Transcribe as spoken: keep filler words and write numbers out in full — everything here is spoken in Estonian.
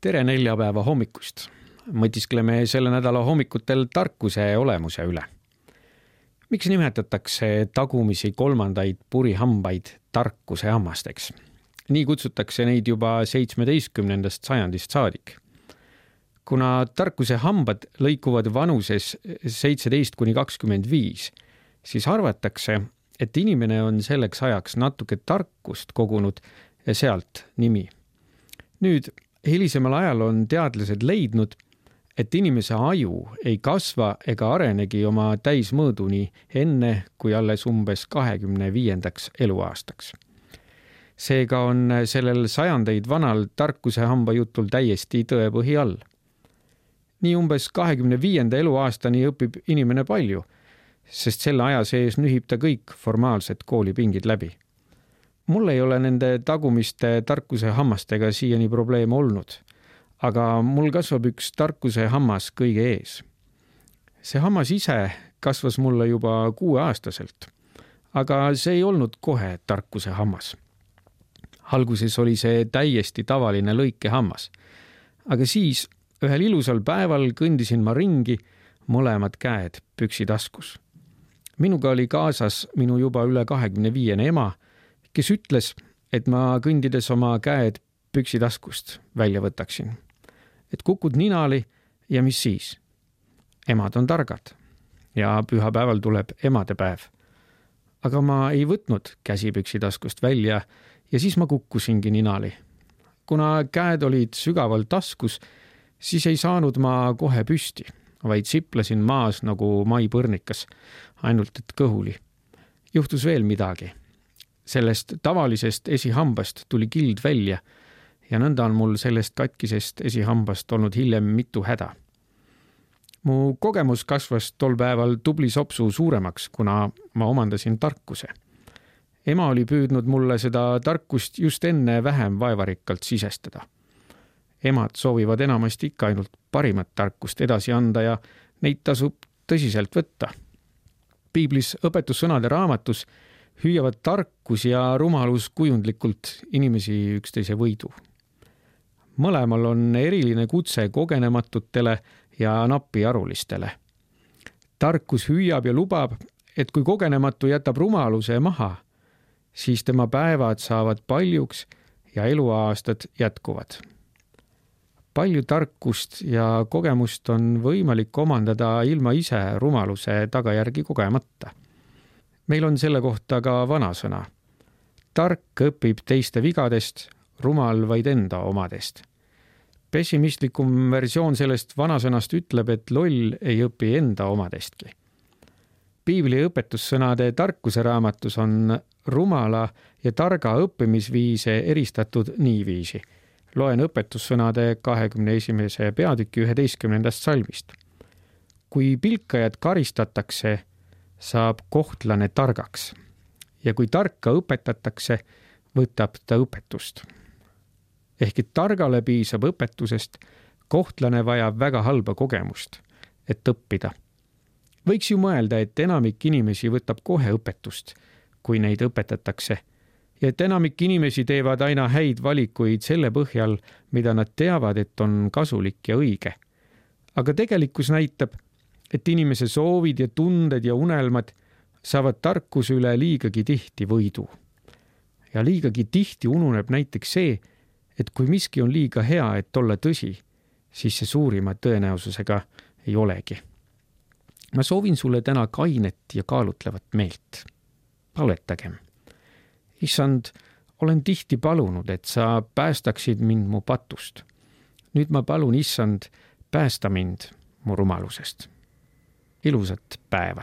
Tere neljapäeva hommikust. Mõtiskleme selle nädala hommikutel tarkuse olemuse üle. Miks nimetatakse tagumisi kolmandaid purihambaid tarkuse hammasteks? Nii kutsutakse neid juba seitsmeteistkümnendast sajandist saadik. Kuna tarkuse hambad lõikuvad vanuses seitseteist kuni kakskümmend viis, siis arvatakse, et inimene on selleks ajaks natuke tarkust kogunud ja sealt nimi. Nüüd, hilisemal ajal on teadlased leidnud, et inimese aju ei kasva ega arenegi oma täismõõduni enne kui alles umbes kahekümne viiendaks eluaastaks. Seega on sellel sajandeid vanal tarkuse hamba jutul täiesti tõepõhi all. Nii umbes kahekümne viienda eluaastani õpib inimene palju, sest selle aja sees nühib ta kõik formaalsed koolipingid läbi. Mul ei ole nende tagumiste tarkuse hammastega siiani probleem olnud, aga mul kasvab üks tarkuse hammas kõige ees. See hammas ise kasvas mulle juba kuueaastaselt, aga see ei olnud kohe tarkuse hammas. Alguses oli see täiesti tavaline lõikehammas, aga siis ühel ilusal päeval kõndisin ma ringi, mõlemad käed püksitaskus. Minuga oli kaasas minu juba üle kahekümne viiene ema, kes ütles, et ma kõndides oma käed püksitaskust välja võtaksin. Et kukud ninali ja mis siis? Emad on targad ja pühapäeval tuleb emadepäev. Aga ma ei võtnud käsi püksitaskust välja ja siis ma kukkusingi ninali. Kuna käed olid sügaval taskus, siis ei saanud ma kohe püsti, vaid siplasin maas nagu maipõrnikas, ainult et kõhuli. Juhtus veel midagi. Sellest tavalisest esihambast tuli kild välja ja nõnda on mul sellest katkisest esihambast olnud hiljem mitu häda. Mu kogemus kasvas tol päeval tubli sopsu suuremaks, kuna ma omandasin tarkuse. Ema oli püüdnud mulle seda tarkust just enne vähem vaevarikkalt sisestada. Emad soovivad enamasti ikka ainult parimat tarkust edasi anda ja neid tasub tõsiselt võtta. Piiblis õpetussõnade raamatus hüüavad tarkus ja rumalus kujundlikult inimesi üksteise võidu. Mõlemal on eriline kutse kogenematutele ja napiarulistele. Tarkus hüüab ja lubab, et kui kogenematu jätab rumaluse maha, siis tema päevad saavad paljuks ja eluaastad jätkuvad. Palju tarkust ja kogemust on võimalik omandada ilma ise rumaluse tagajärgi kogemata. Meil on selle kohta ka vanasõna. Tark õpib teiste vigadest, rumal vaid enda omadest. Pessimistlikum versioon sellest vanasõnast ütleb, et loll ei õpi enda omadestki. Piibli õpetussõnade tarkuse raamatus on rumala ja targa õppimisviise eristatud niiviisi. Loen õpetussõnade kahekümne esimese peatüki üheteistkümnendast salmist. Kui pilkajad karistatakse, saab kohtlane targaks ja kui tarka õpetatakse, võtab ta õpetust. Ehk et targale piisab õpetusest, kohtlane vajab väga halba kogemust, et õppida. Võiks ju mõelda, et enamik inimesi võtab kohe õpetust, kui neid õpetatakse, ja et enamik inimesi teevad aina häid valikuid selle põhjal, mida nad teavad, et on kasulik ja õige. Aga tegelikkus näitab, et inimese soovid ja tunded ja unelmad saavad tarkuse üle liigagi tihti võidu. Ja liigagi tihti ununeb näiteks see, et kui miski on liiga hea, et olla tõsi, siis see suurima tõenäosusega ei olegi. Ma soovin sulle täna kainet ja kaalutlevat meelt. Paletagem. Issand, olen tihti palunud, et sa päästaksid mind mu patust. Nüüd ma palun, issand, päästa mind mu rumalusest. Ilusat päeva!